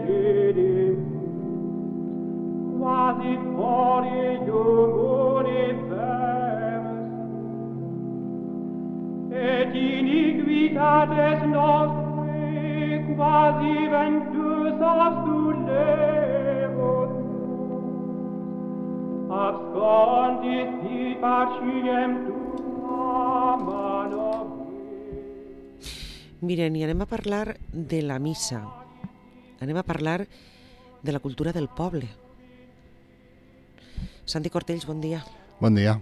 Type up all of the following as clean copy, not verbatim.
cede, quasi fuori univers, et iniquitates nostre quasi ventus absulevos, abscondis il paciem tua mano. Miren, i anem a parlar de la missa. Anem a parlar de la cultura del poble. Santi Cortells, bon dia. Bon dia.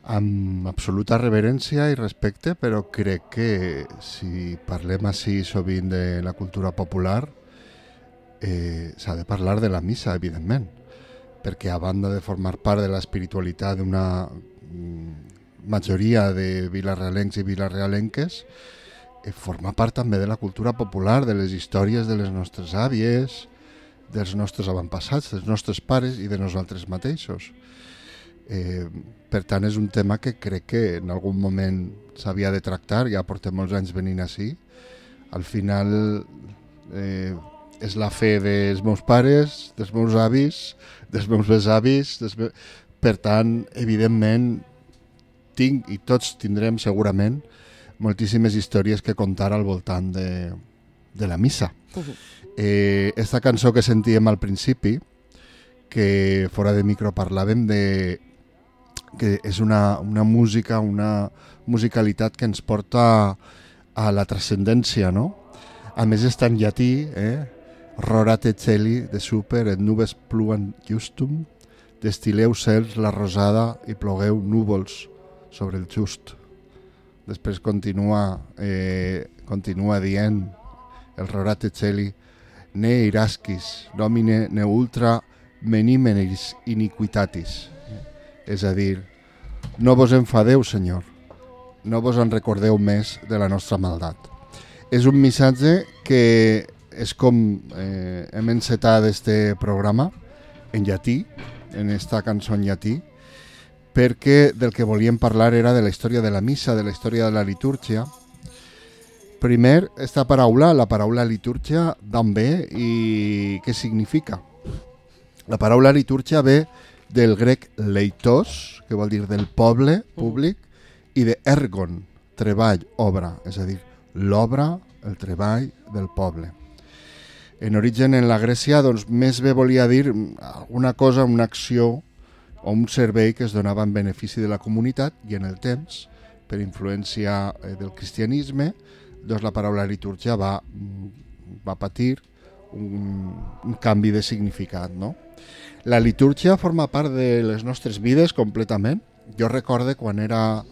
Amb absoluta reverència i respecte, però crec que si parlem així sovint de la cultura popular, s'ha de parlar de la missa, evidentment, perquè a banda de formar part de l'espiritualitat d'una majoria de vilarealencs i vilarealenques, forma part també de la cultura popular, de les històries de les nostres àvies, dels nostres avantpassats, dels nostres pares i de nosaltres mateixos. Per tant, és un tema que crec que en algun moment s'havia de tractar, ja portem molts anys venint així. Al final és la fe dels meus pares, dels meus avis, dels meus besavis. Per tant, evidentment, tinc i tots tindrem segurament moltíssimes històries que contar al voltant de la missa. Esta cançó que sentíem al principi, que fora de micro parlàvem que és una música, una musicalitat que ens porta a la transcendència, no? A més està en llatí, Rorate celi de super et nubes pluen justum, destileu cels la rosada i plogueu núvols sobre el just. Després continua dient el Rorate celi ne irasquis, nomine ne ultra menimenis iniquitatis. És a dir, no vos enfadeu, Senyor, no vos en recordeu més de la nostra maldat. És un missatge que és com hem encetat este programa en llatí, en esta cançó en llatí, perquè del que volíem parlar era de la història de la missa, de la història de la litúrgia. Primer, esta paraula, la paraula litúrgia, d'on ve i què significa? La paraula litúrgia ve del grec leitos, que vol dir del poble, públic, i de ergon, treball, obra, és a dir, l'obra, el treball del poble. En origen, en la Grècia, doncs, més bé volia dir alguna cosa, una acció o un servei que es donava en benefici de la comunitat i en el temps, per influència del cristianisme, doncs la paraula litúrgia va patir un canvi de significat, no? La litúrgia forma part de les nostres vides completament. Jo recorde quan era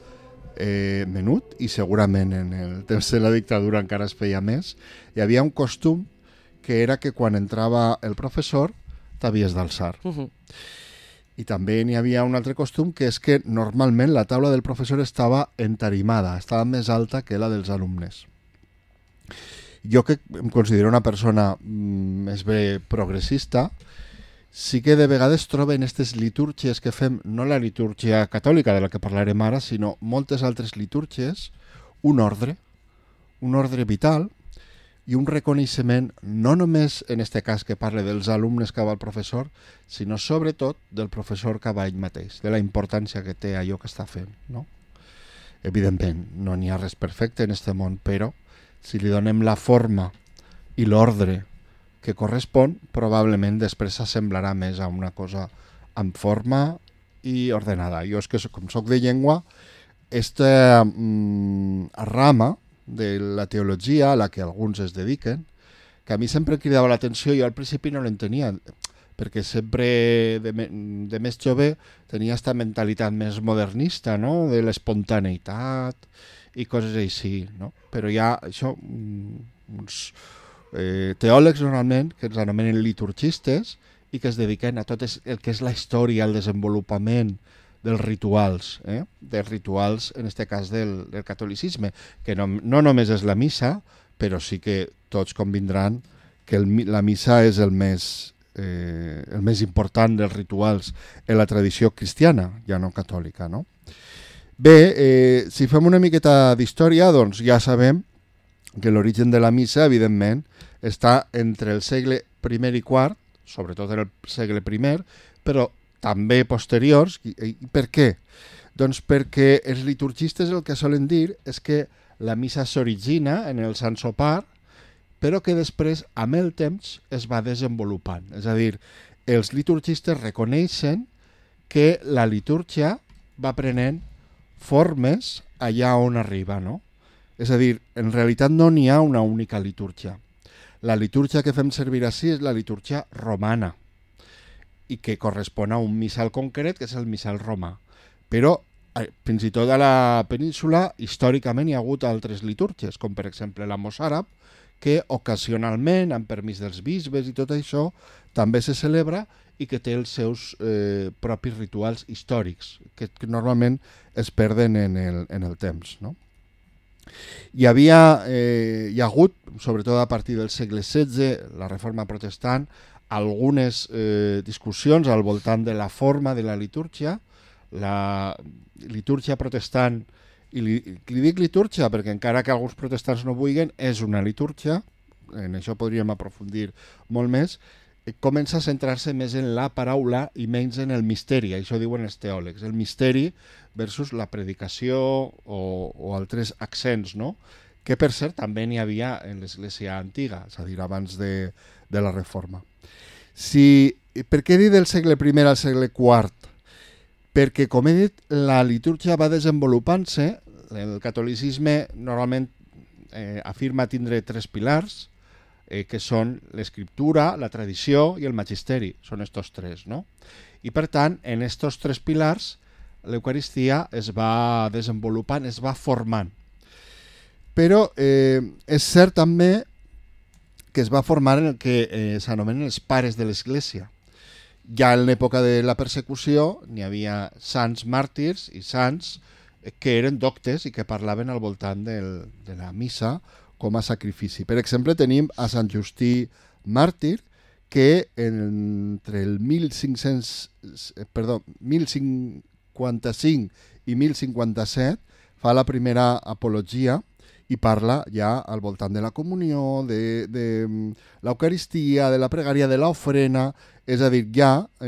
menut, i segurament en el temps de la dictadura encara es feia més, hi havia un costum que era que quan entrava el professor t'havies d'alçar. I també n'hi havia un altre costum, que és que normalment la taula del professor estava entarimada, estava més alta que la dels alumnes. Jo, que em considero una persona més bé progressista, sí que de vegades troben aquestes litúrgies que fem, no la litúrgia catòlica de la que parlarem ara, sinó moltes altres litúrgies, un ordre vital i un reconeixement, no només en aquest cas que parle dels alumnes que va al professor, sinó sobretot del professor que va ell mateix, de la importància que té allò que està fent, no? Evidentment, no n'hi ha res perfecte en aquest món, però si li donem la forma i l'ordre que correspon, probablement després s'assemblarà més a una cosa amb forma i ordenada. Jo és que, com soc de llengua, aquesta rama de la teologia a la que alguns es dediquen, que a mi sempre cridava l'atenció, jo al principi no l'entenia, perquè sempre de més jove tenia aquesta mentalitat més modernista, no? De l'espontaneïtat i coses així, no? Però hi ha això, uns teòlegs normalment que ens anomenen liturgistes i que es dediquen a tot el que és la història, el desenvolupament dels rituals, dels rituals en aquest cas del catolicisme, que no només és la missa, però sí que tots convindran que la missa és el més important dels rituals en la tradició cristiana, ja no catòlica, no? Bé, si fem una miqueta d'història, doncs ja sabem que l'origen de la missa, evidentment, està entre el segle I i IV, sobretot en el segle I, però també posteriors. I per què? Doncs perquè els liturgistes el que solen dir és que la missa s'origina en el Sant Sopar, però que després, amb el temps, es va desenvolupant. És a dir, els liturgistes reconeixen que la litúrgia va prenent formes allà on arriba, no? És a dir, en realitat no n'hi ha una única litúrgia. La litúrgia que fem servir així és la litúrgia romana i que correspon a un missal concret, que és el missal romà. Però fins i tot a la península històricament hi ha hagut altres litúrgies, com per exemple la mossàrab, que ocasionalment, amb permís dels bisbes i tot això, també se celebra i que té els seus propis rituals històrics, que normalment es perden en el temps, no? Hi ha hagut, sobretot a partir del segle XVI, la Reforma Protestant, algunes discussions al voltant de la forma de la litúrgia. La litúrgia protestant, i li dic litúrgia perquè encara que alguns protestants no vulguin, és una litúrgia, en això podríem aprofundir molt més, comença a centrar-se més en la paraula i menys en el misteri, això diuen els teòlegs, el misteri versus la predicació o altres accents, no? Que per cert també n'hi havia en l'Església antiga, és a dir, abans de la Reforma. Per què he dit del segle I al segle IV? Perquè, com he dit, la litúrgia va desenvolupant-se. El catolicisme normalment afirma tindre 3 pilars, que són l'escriptura, la tradició i el magisteri. Són estos 3, no? I per tant, en estos 3 pilars, l'Eucaristia es va desenvolupant, es va formant. Però és cert també que es va formar en el que s'anomenen els pares de l'Església. Ja en l'època de la persecució n'hi havia sants màrtirs i sants que eren doctes i que parlaven al voltant de la missa com a sacrifici. Per exemple, tenim a Sant Justí màrtir, que entre el 1055 i 1057 fa la primera apologia i parla ja al voltant de la comunió, de l'Eucaristia, de la pregària, de l'ofrena. És a dir, ja a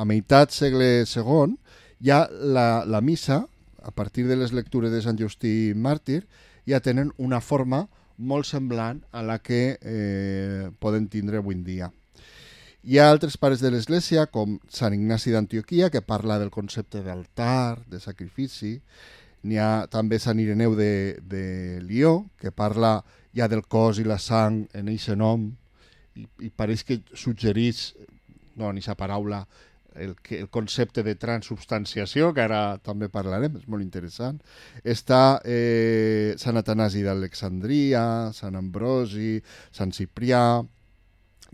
meitat segle II, ja la missa, a partir de les lectures de Sant Justí màrtir, ja tenen una forma molt semblant a la que poden tindre avui en dia. Hi ha altres pares de l'Església, com Sant Ignasi d'Antioquia, que parla del concepte d'altar, de sacrifici. N'hi ha també Sant Ireneu de Lió, que parla ja del cos i la sang en eixe nom, i pareix que suggereix, no, en aquesta paraula, el concepte de transubstanciació, que ara també parlarem, és molt interessant. Està Sant Atanasi d'Alexandria, Sant Ambrosi, Sant Ciprià,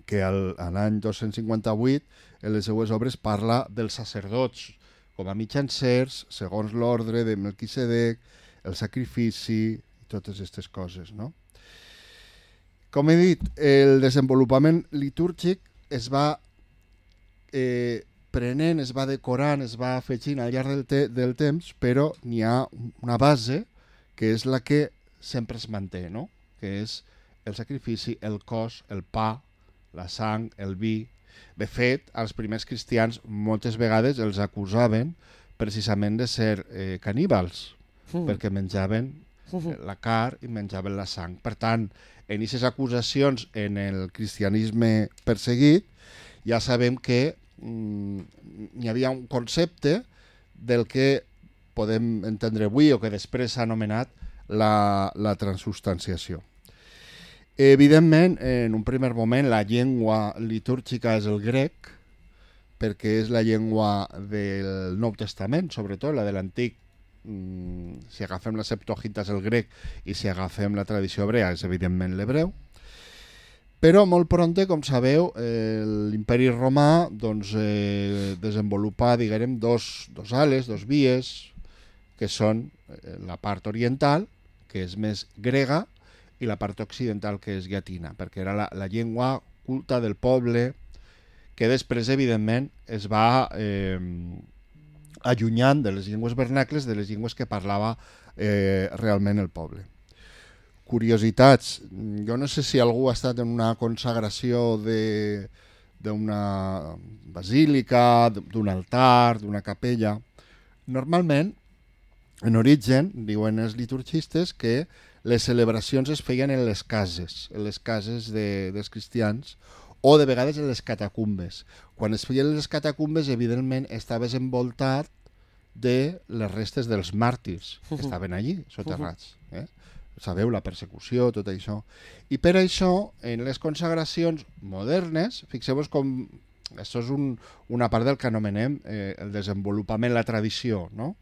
que l'any 258, en les seues obres, parla dels sacerdots com a mitjancers, segons l'ordre de Melquisedec, el sacrifici, totes aquestes coses, no? Com he dit, el desenvolupament litúrgic es va prenent, es va decorant, es va afegint al llarg del temps, però n'hi ha una base que és la que sempre es manté, no? Que és el sacrifici, el cos, el pa, la sang, el vi. De fet, als primers cristians moltes vegades els acusaven precisament de ser caníbals, perquè menjaven la carn i menjaven la sang. Per tant, en aquestes acusacions en el cristianisme perseguit, ja sabem que hi havia un concepte del que podem entendre avui o que després s'ha anomenat la transubstanciació. Evidentment, en un primer moment, la llengua litúrgica és el grec, perquè és la llengua del Nou Testament, sobretot la de l'Antic. Si agafem la Septuaginta és el grec i si agafem la tradició hebrea és evidentment l'hebreu. Però molt prompte, com sabeu, l'imperi romà desenvolupa, diguem, dos ales, dos vies, que són la part oriental, que és més grega, i la part occidental, que és llatina, perquè era la llengua culta del poble, que després, evidentment, es va allunyant de les llengües vernacles, de les llengües que parlava realment el poble. curiositats. Jo no sé si algú ha estat en una consagració d'una basílica, d'un altar, d'una capella. Normalment, en origen, diuen els liturgistes que les celebracions es feien en les cases dels cristians, o de vegades en les catacumbes. Quan es feien les catacumbes, evidentment, estaves envoltat de les restes dels màrtirs que estaven allí, soterrats. Sabeu, la persecució, tot això. I per això, en les consagracions modernes, fixeu-vos com... Això és una part del que anomenem el desenvolupament, la tradició, no?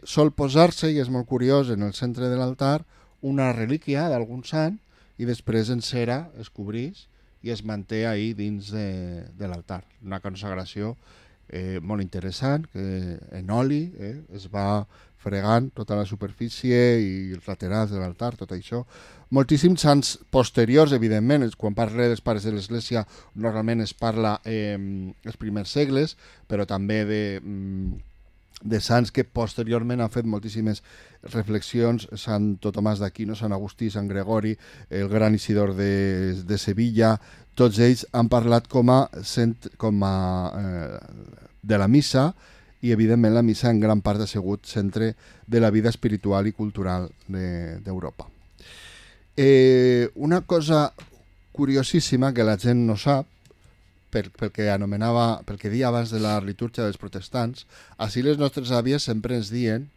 Sol posar-se, i és molt curiós, en el centre de l'altar, una relíquia d'algun sant, i després en cera es cobrís i es manté ahí dins de l'altar. Una consagració molt interessant, que en oli es va fregant tota la superfície i els laterals de l'altar, tot això. Moltíssims sants posteriors, evidentment, quan parla dels pares de l'Església normalment es parla els primers segles, però també de sants que posteriorment han fet moltíssimes reflexions, Sant Tomàs d'Aquino, Sant Agustí, Sant Gregori, el gran Isidor de Sevilla, tots ells han parlat de la missa, i evidentment la missa en gran part ha sigut centre de la vida espiritual i cultural d'Europa. Una cosa curiosíssima que la gent no sap, pel que dia abans de la litúrgia dels protestants, així les nostres àvies sempre ens diuen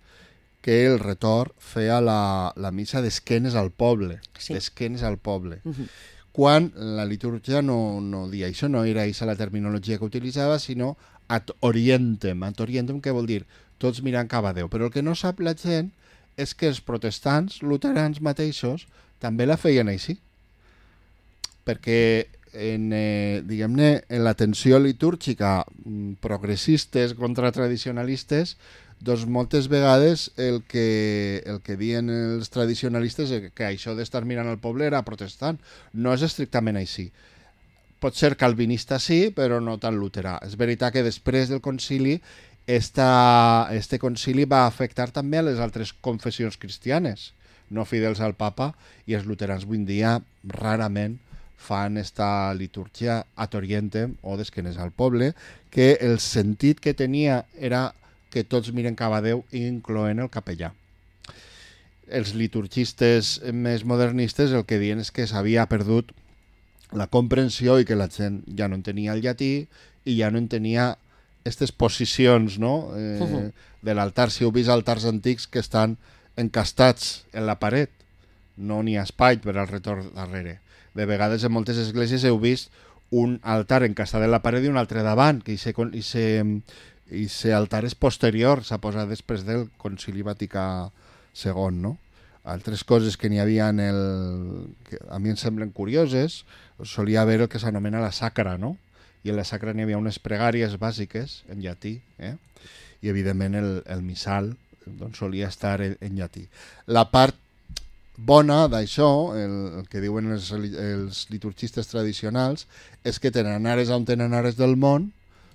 que el retor feia la missa d'esquenes al poble, Sí. d'esquenes al poble. Quan la litúrgia no dia això, no era aquesta la terminologia que utilitzava, sinó ad orientem. Ad orientem què vol dir? Tots mirant cap a Déu. Però el que no sap la gent és que els protestants, luterans mateixos, també la feien així. Perquè diguem-ne, en la tensió litúrgica progressistes contra tradicionalistes, doncs moltes vegades el que diuen els tradicionalistes és que això d'estar mirant al poble era protestant. No és estrictament així. Pot ser calvinista sí, però no tan luterà. És veritat que després del concili, este concili va afectar també a les altres confessions cristianes, no fidels al papa, i els luterans avui en dia rarament fan esta litúrgia ad orientem o d'esquenes al poble, que el sentit que tenia era que tots miren cap a Déu, incloent el capellà. Els liturgistes més modernistes el que diuen és que s'havia perdut la comprensió i que la gent ja no entenia el llatí i ja no entenia aquestes posicions, no? De l'altar. Si heu vist altars antics que estan encastats en la paret, no n'hi ha espai per al retorn darrere. De vegades en moltes esglésies heu vist un altar encastat en la paret i un altre davant, que aquest altar és posterior, s'ha posat després del Concili Vaticà II, no? Altres coses que n'hi havia que a mi em semblen curioses, solia haver el que s'anomena la sacra, no? I en la sacra n'hi havia unes pregàries bàsiques en llatí, i evidentment el missal doncs, solia estar en llatí. La part bona d'això, el que diuen els liturgistes tradicionals, és que tenen ares on tenen ares del món,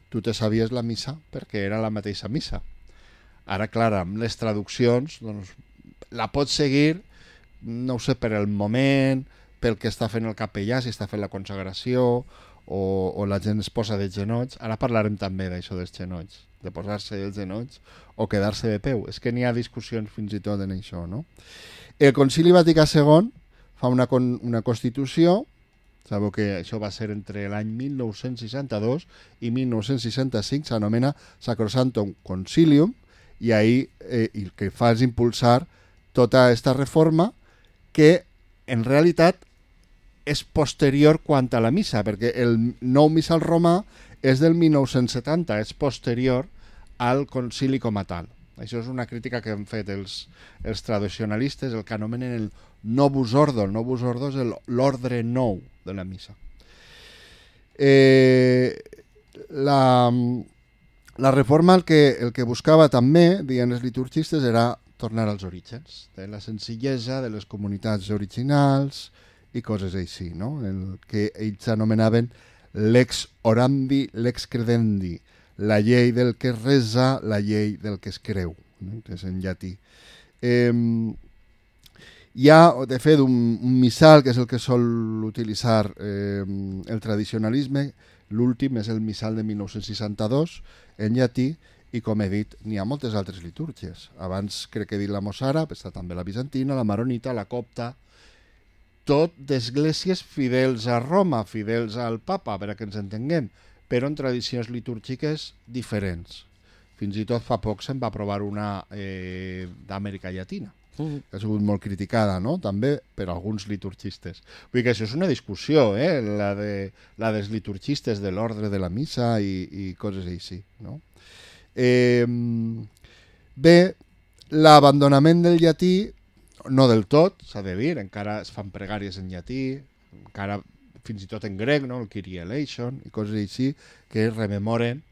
tu te sabies la missa perquè era la mateixa missa. Ara, clar, amb les traduccions, doncs, la pots seguir, no ho sé, per el moment, pel que està fent el capellà, si està fent la consagració, o la gent es posa de genolls. Ara parlarem també d'això dels genolls, de posar-se dels genolls o quedar-se de peu. És que n'hi ha discussions fins i tot en això, no? El Concili Vaticà II fa una Constitució, sabeu que això va ser entre l'any 1962 i 1965, s'anomena Sacrosanctum Concilium, i ahir el que fa és impulsar tota aquesta reforma que en realitat és posterior quant a la missa, perquè el nou missal romà és del 1970, és posterior al concili com a tal. Això és una crítica que han fet els tradicionalistes, el que anomenen el novus ordo. El novus ordo és l'ordre nou de la missa. La reforma el que buscava també, diuen els liturgistes, era tornar als orígens, de la senzillesa de les comunitats originals i coses així, no? El que ells anomenaven lex orandi, lex credendi, la llei del que es resa, la llei del que es creu, no? Que és en llatí. Hi ha, de fet, un missal, que és el que sol utilitzar el tradicionalisme. L'últim és el missal de 1962, en llatí, i com he dit, n'hi ha moltes altres litúrgies. Abans crec que he dit la mossàrab, està també la bizantina, la maronita, la copta, tot d'esglésies fidels a Roma, fidels al papa, per a que ens entenguem, però en tradicions litúrgiques diferents. Fins i tot fa poc se'n va aprovar una d'Amèrica Llatina, que ha sigut molt criticada, no?, també per alguns liturgistes. Vull dir que això és una discussió, la dels liturgistes de l'ordre de la missa i coses així, no? Bé, l'abandonament del llatí, no del tot, s'ha de dir, encara es fan pregàries en llatí, encara fins i tot en grec, no?, el Kyrie eleison i coses així, que rememoren,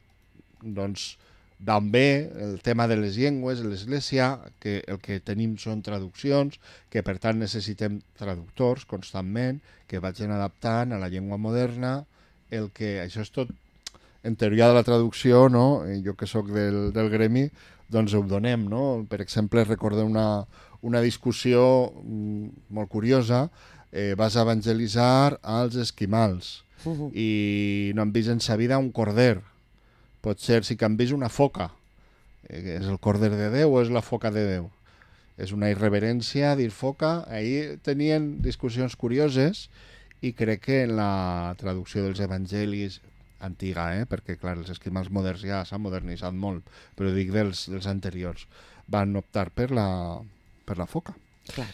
doncs, d'on ve el tema de les llengües, l'Església, que el que tenim són traduccions, que per tant necessitem traductors constantment, que vagin adaptant a la llengua moderna, això és tot en teoria de la traducció, no? Jo que sóc del gremi, doncs ho donem, no? Per exemple, recordo una discussió molt curiosa, vas evangelitzar als esquimals i no han vist en sa vida un corder. Pot ser si que han vist una foca. És el corder de Déu o és la foca de Déu? És una irreverència dir foca. Ahir tenien discussions curioses i crec que en la traducció dels evangelis antiga, perquè clar, els esquimals moderns ja s'han modernitzat molt, però dic dels anteriors, van optar per la foca. Clar.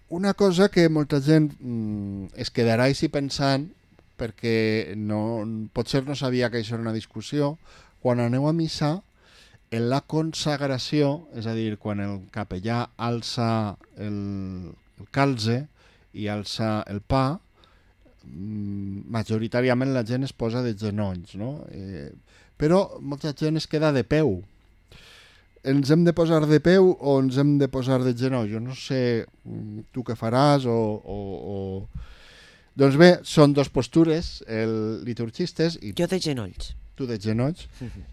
Una cosa que molta gent es quedarà així pensant, perquè potser no sabia que això era una discussió, quan aneu a missa, en la consagració, és a dir, quan el capellà alça el calze i alça el pa, majoritàriament la gent es posa de genolls, no? Però molta gent es queda de peu. Ens hem de posar de peu o ens hem de posar de genoll? Jo no sé tu què faràs o... Doncs bé, són dos postures liturgistes. Jo de genolls. Tu de genolls.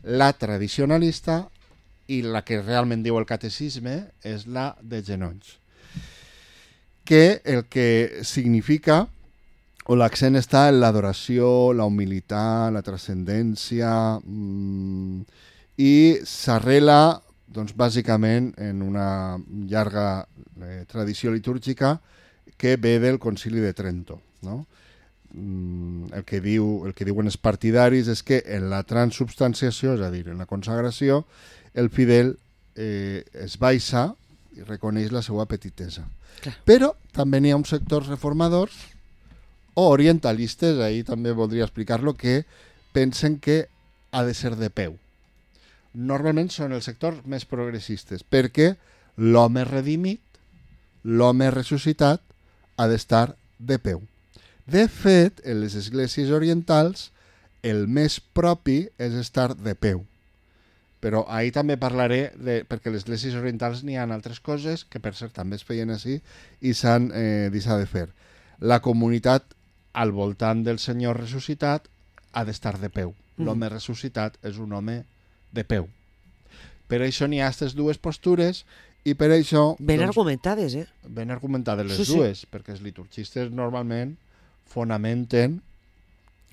La tradicionalista i la que realment diu el catecisme és la de genolls. Que el que significa, o l'accent està en l'adoració, la humilitat, la transcendència, i s'arrela, doncs, bàsicament en una llarga tradició litúrgica que ve del Concili de Trento. No? El que diuen els partidaris és que en la transubstanciació, és a dir, en la consagració, el fidel es baixa i reconeix la seva petitesa. Clar. Però també n'hi ha uns sectors reformadors o orientalistes, ahir també voldria explicar-lo, que pensen que ha de ser de peu. Normalment són els sectors més progressistes, perquè l'home redimit, l'home ressuscitat, ha d'estar de peu. De fet, en les esglésies orientals, el més propi és estar de peu. Però ahir també parlaré, perquè a les esglésies orientals n'hi ha altres coses, que per cert també es feien així, i s'han deixat de fer. La comunitat al voltant del Senyor ressuscitat ha d'estar de peu. L'home ressuscitat és un home de peu. Per això n'hi ha aquestes dues postures i per això... Ben argumentades, Ben argumentades les dues, perquè els liturgistes normalment fonamenten,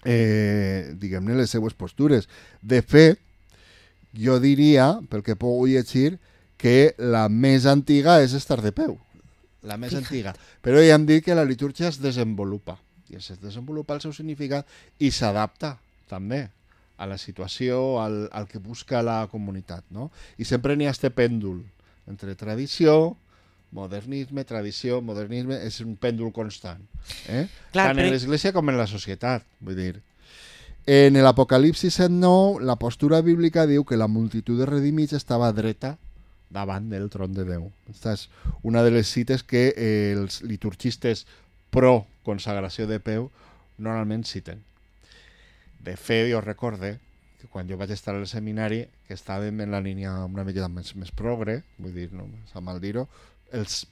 diguem-ne, les seues postures. De fet, jo diria, pel que puc llegir, que la més antiga és estar de peu. La més antiga. Però ja hem dit que la litúrgia es desenvolupa. I es desenvolupa el seu significat i s'adapta també a la situació, al que busca la comunitat, no? I sempre n'hi ha este pèndol entre tradició, modernisme, tradició, modernisme, és un pèndol constant. Tant en l'Església com en la societat, vull dir. En l'Apocalipsi 7:9, la postura bíblica diu que la multitud de redimits estava dreta davant del tron de Déu. Aquesta és una de les cites que els liturgistes pro consagració de peu normalment citen. De fet, jo recorde que quan jo vaig estar al seminari, que estàvem en la línia una mica més progre, vull dir, no s'ha mal dir-ho, els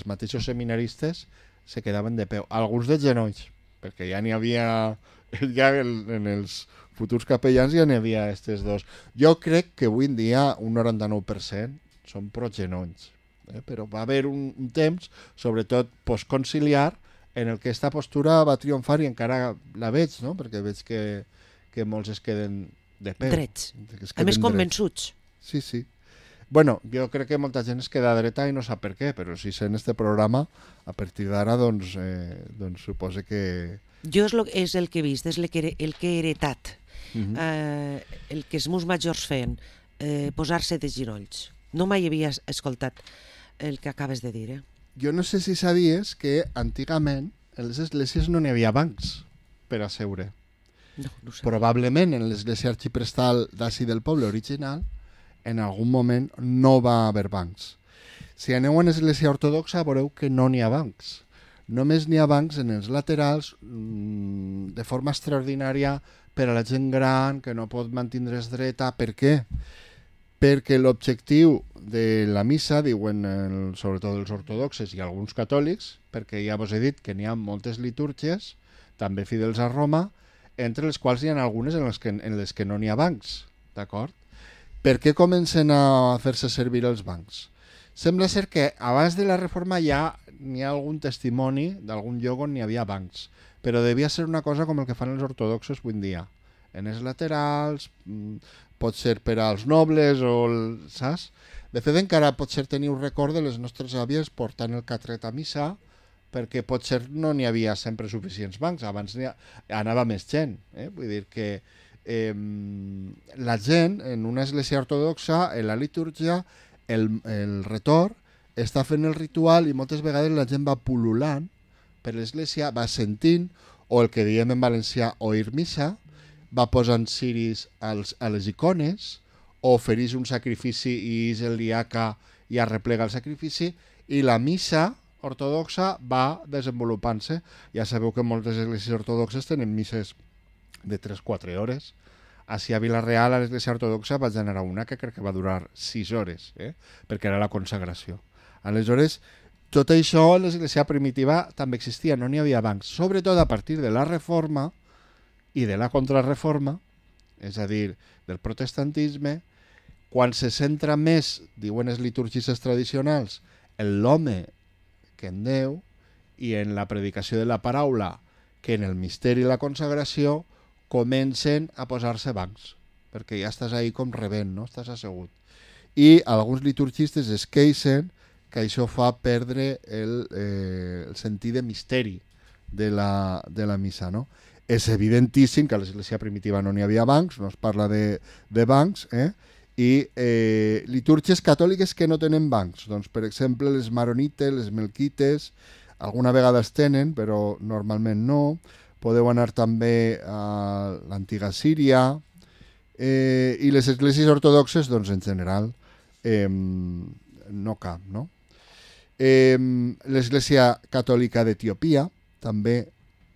mateixos seminaristes se quedaven de peu, alguns de genolls, perquè ja n'hi havia, ja en els futurs capellans ja n'hi havia aquests dos. Jo crec que avui en dia un 99% són pro genolls, però va haver un temps, sobretot postconciliar, en el que aquesta postura va triomfar i encara la veig, no? Perquè veig que molts es queden de peu. Drets. Es A queden més, drets. convençuts. Sí, sí. Bueno, jo crec que molta gent es queda dreta i no sap per què, però si sent este programa, a partir d'ara, doncs suposo que... Jo és el que he vist, és el que he heretat. El que els meus majors feien, posar-se de ginolls. No mai havia escoltat el que acabes de dir, Jo no sé si sabies que antigament en les esglésies no n'hi havia bancs per a seure. No, no ho sé. Probablement en l'església arxiprestal d'ací del poble original en algun moment no va haver bancs. Si aneu a l'església ortodoxa veureu que no n'hi ha bancs. Només n'hi ha bancs en els laterals de forma extraordinària per a la gent gran que no pot mantindre's dreta. Per què? Perquè l'objectiu de la missa, diuen sobretot els ortodoxes i alguns catòlics, perquè ja vos he dit que n'hi ha moltes litúrgies, també fidels a Roma, entre les quals hi ha algunes en les que no n'hi ha bancs, d'acord? Per què comencen a fer-se servir els bancs? Sembla ser que abans de la reforma ja n'hi ha algun testimoni d'algun lloc on n'hi havia bancs, però devia ser una cosa com el que fan els ortodoxos avui en dia. En els laterals, pot ser per als nobles, saps? De fet, encara pot ser tenir un record de les nostres àvies portant el catret a missa, perquè potser no n'hi havia sempre suficients bancs, abans anava més gent. Vull dir que la gent en una església ortodoxa, en la litúrgia, el retor està fent el ritual i moltes vegades la gent va pul·lulant per l'església, va sentint, o el que diem en valencià oir missa, va posant ciris a les icones, o ofereix un sacrifici i és el diaca i arreplega el sacrifici, i la missa ortodoxa va desenvolupant-se. Ja sabeu que moltes esglésies ortodoxes tenen misses de 3-4 hores. Així a Vila-real, a l'església ortodoxa, vaig anar a una que crec que va durar 6 hores, perquè era la consagració. Aleshores, tot això en l'església primitiva també existia, no n'hi havia bancs. Sobretot a partir de la reforma i de la contrarreforma, és a dir, del protestantisme, quan se centra més, diuen els liturgistes tradicionals, en l'home que en Déu i en la predicació de la paraula que en el misteri i la consagració comencen a posar-se bancs, perquè ja estàs ahí com rebent, no? Estàs assegut. I alguns liturgistes es queixen que això fa perdre el sentit de misteri de la missa, no? És evidentíssim que a l'església primitiva no n'hi havia bancs, no es parla de bancs, i litúrgies catòliques que no tenen bancs. Doncs, per exemple, les maronites, les melquites, alguna vegada es tenen, però normalment no. Podeu anar també a l'antiga Síria, i les esglésies ortodoxes, doncs, en general, no cap, no? L'església catòlica d'Etiòpia també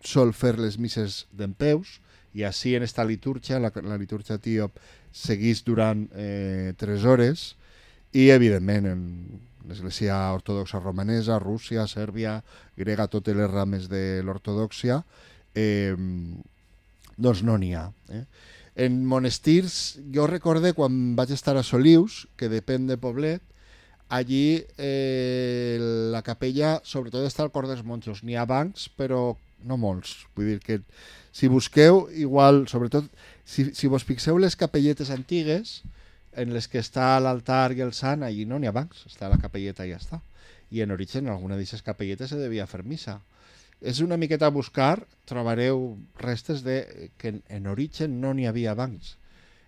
sol fer les misses dempeus, i així en esta litúrgia, la litúrgia etíop, seguís durant 3 hores, i evidentment en l'església ortodoxa romanesa, Rússia, Sèrbia, grega, totes les rames de l'ortodoxia, doncs no n'hi ha. En monestirs, jo recorde quan vaig estar a Solius, que depèn de Poblet, allí la capella sobretot està al cor dels monjos. N'hi ha bancs, però no molts. Vull dir que si busqueu, igual, sobretot, si vos fixeu les capelletes antigues, en les que està l'altar i el sant, allí no n'hi ha bancs, està la capelleta i ja està. I en origen, alguna d'aquestes capelletes se devia fer missa. És una miqueta a buscar, trobareu restes de que en origen no n'hi havia bancs.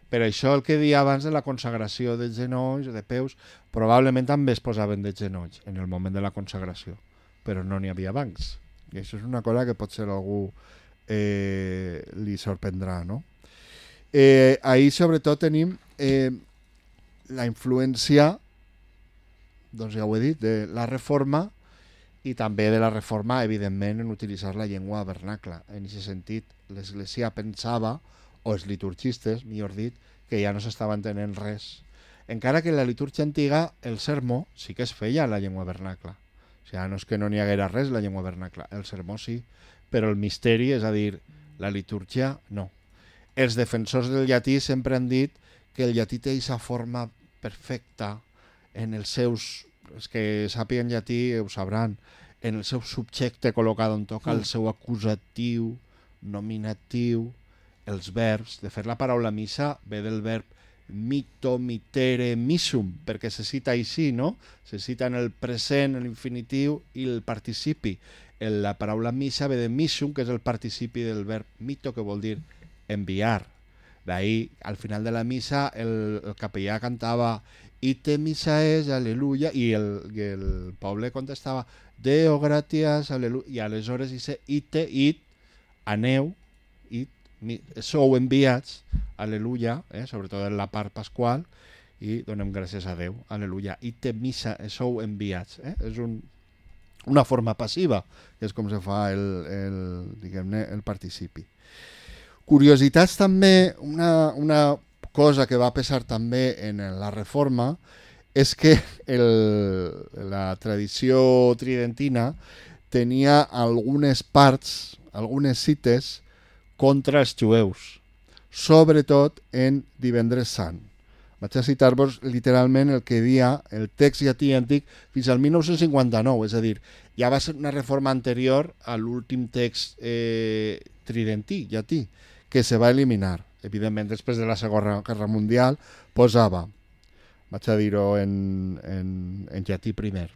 Per això el que dia abans de la consagració de genolls, de peus, probablement també es posaven de genolls en el moment de la consagració, però no n'hi havia bancs. I això és una cosa que potser algú li sorprendrà, no? Ahir sobretot tenim la influència, doncs ja ho he dit, de la reforma, i també de la reforma, evidentment, en utilitzar la llengua vernacla. En aquest sentit, l'Església pensava, o els liturgistes, millor dit, que ja no s'estava entenent res. Encara que en la litúrgia antiga el sermó sí que es feia en la llengua vernacla. O sigui, no és que no n'hi haguera res la llengua vernacla, el sermó sí, però el misteri, és a dir, la litúrgia, no. Els defensors del llatí sempre han dit que el llatí té aquesta forma perfecta en els seus els que sàpiguen llatí ho sabran, en el seu subjecte col·locat on toca el seu acusatiu, nominatiu, els verbs. De fet, la paraula missa ve del verb mito, mitere, missum, perquè se cita així, no? Se cita en el present, l'infinitiu i el participi. La paraula missa ve de missum, que és el participi del verb mito, que vol dir enviar. D'ahí, al final de la missa, el capellà cantava Ite missa és, aleluia, i el poble contestava Deo gratias, aleluia, i aleshores dice ite, aneu, sou enviats, aleluia, sobretot en la part pasqual, i donem gràcies a Déu, aleluia, ite missa, sou enviats. És una forma passiva, que és com se fa diguem-ne, el participi. Curiositats també, una cosa que va pesar també en la Reforma és que la tradició tridentina tenia algunes parts, algunes cites contra els jueus, sobretot en Divendres Sant. Vaig a citar-vos literalment el que dia el text llatí antic fins al 1959, és a dir, ja va ser una reforma anterior a l'últim text tridentí, llatí, que se va eliminar. Evidentment, després de la Segona Guerra Mundial, posava, vaig a dir-ho en llatí primer,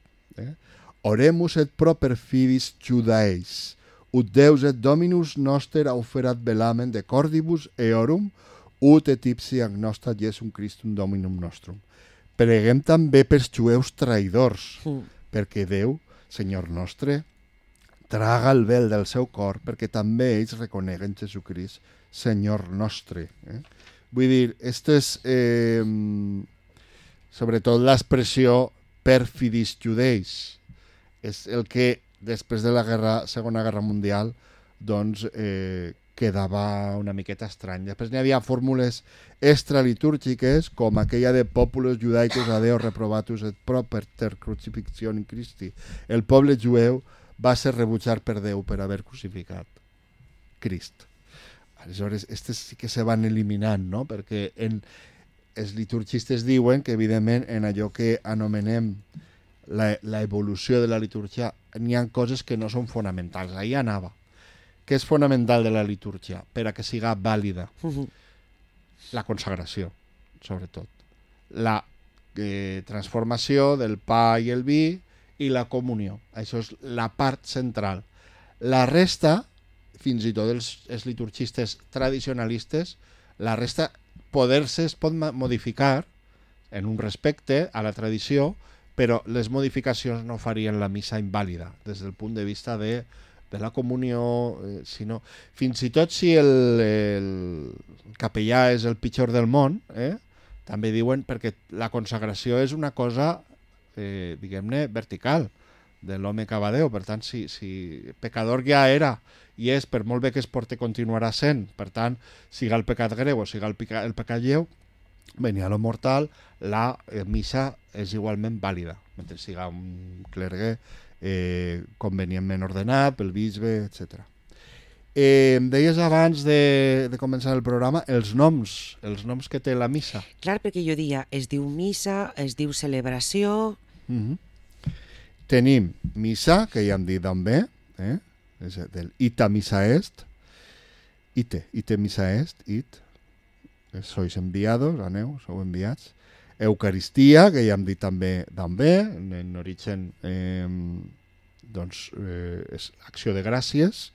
Oremus et proper fidis Judaeis, ut Deus et Dominus noster auferat velamen de cordibus eorum, ut et ipsi agnosta Jesum Christum Dominum nostrum. Preguem també pels jueus traïdors, perquè Déu, Senyor nostre, traga el vel del seu cor, perquè també ells reconeguen Jesucrist, Senyor nostre. Vull dir, esto és sobretot l'expressió perfidis judeis. És el que després de la Segona Guerra Mundial doncs, quedava una miqueta estrany. Després n'hi havia fórmules extralitúrgiques com aquella de populos judaicos adeo reprobatus et proper crucifixion in Christi. El poble jueu va ser rebutjat per Déu per haver crucificat Crist. Aleshores, aquestes sí que se van eliminant, no? Perquè els liturgistes diuen que, evidentment, en allò que anomenem la evolució de la litúrgia, n'hi ha coses que no són fonamentals. Ahí anava. Què és fonamental de la litúrgia per a que siga vàlida? La consagració, sobretot. La transformació del pa i el vi i la comunió. Això és la part central. La resta, fins i tot els liturgistes tradicionalistes, la resta es pot modificar en un respecte a la tradició, però les modificacions no farien la missa invàlida des del punt de vista de la comunió, sinó fins i tot si el capellà és el pitjor del món, també diuen perquè la consagració és una cosa, diguem-ne, vertical de l'home que va a Déu. Per tant, si pecador ja era i és, per molt bé que es porte, continuarà sent. Per tant, siga el pecat greu o siga el pecat lleu, venia lo mortal, la missa és igualment vàlida, mentre siga un clergue convenientment ordenat pel bisbe, etc. Em deies abans de començar el programa els noms que té la missa. Clar, perquè jo dia, es diu missa, es diu celebració... Tenim missa, que ja hem dit també, és del ita missa est, ite missa est, sois enviados, aneu, sou enviats. Eucaristia, que ja hem dit també, en origen és acció de gràcies.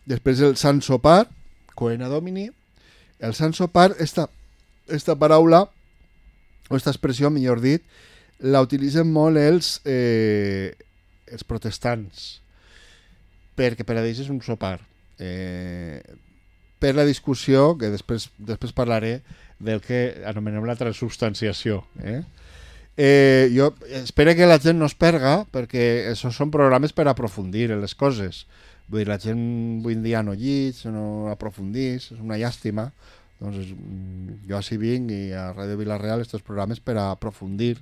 Després el Sant Sopar, Coena Domini. El Sant Sopar, esta paraula, o esta expressió, millor dit, la utilitzen molt els protestants, perquè per a ells és un sopar. Per la discussió, que després parlaré del que anomenem la transubstanciació. Jo espero que la gent no es perga, perquè això són programes per aprofundir en les coses. Vull dir, la gent avui en dia no llig, no aprofundís, és una llàstima. Doncs jo així vinc i a Ràdio Vila-real estos programes per a aprofundir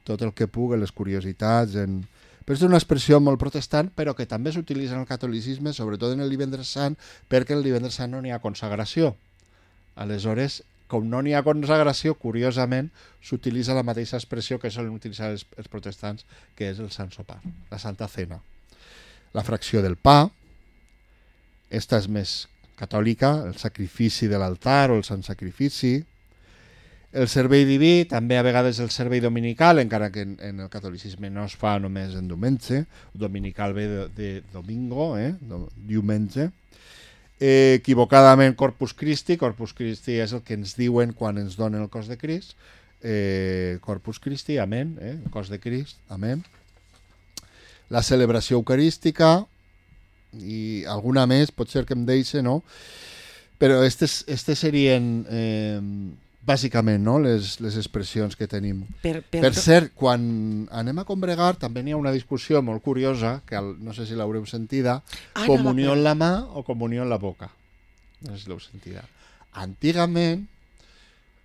tot el que puc, les curiositats. Però és una expressió molt protestant, però que també s'utilitza en el catolicisme, sobretot en el Divendres Sant, perquè el Divendres Sant no n'hi ha consagració. Aleshores, com no n'hi ha consagració, curiosament, s'utilitza la mateixa expressió que solen utilitzar els protestants, que és el Sant Sopar, la Santa Cena. La fracció del pa, esta és més catòlica, el sacrifici de l'altar o el sant sacrifici. El servei diví, també a vegades el servei dominical, encara que en el catolicisme no es fa només en diumenge, dominical ve de domingo, diumenge. Equivocadament Corpus Christi és el que ens diuen quan ens donen el cos de Crist, Corpus Christi, amén, el cos de Crist, amén. La celebració eucarística i alguna més, pot ser que em deixe, no? Però estes serien bàsicament, no? les expressions que tenim. Per cert, quan anem a combregar també n'hi ha una discussió molt curiosa, que no sé si l'haureu sentida, comunió en la mà o comunió en la boca. No sé si l'heu sentida. Antigament,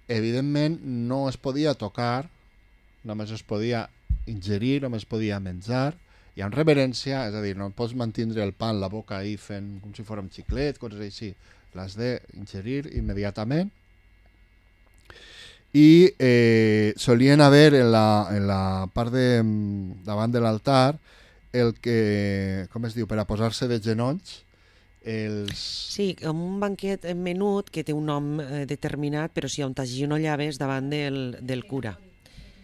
evidentment, no es podia tocar, només es podia ingerir, només es podia menjar. Hi ha una reverència, és a dir, no pots mantindre el pa en la boca ahí fent com si fos un xiclet, coses així. L'has d'ingerir immediatament. I solien haver en la part davant de l'altar el que, com es diu, per a posar-se de genolls, Sí, com un banquet menut que té un nom determinat, però si on t'agenollaves davant del cura.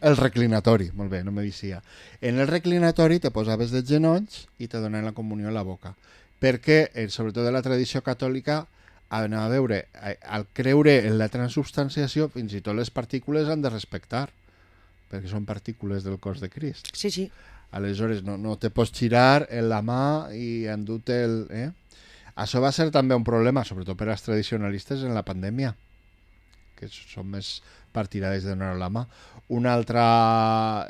El reclinatori, molt bé, no me dixia. En el reclinatori te posaves de genolls i te donaven la comunió a la boca. Perquè, sobretot de la tradició catòlica, a veure, al creure en la transubstanciació, fins i tot les partícules han de respectar, perquè són partícules del cos de Crist. Sí, sí. Aleshores, no te pots girar en la mà i endur-te el... Això va ser també un problema, sobretot per als tradicionalistes en la pandèmia, que són més partidaris de donar la mà. Una altra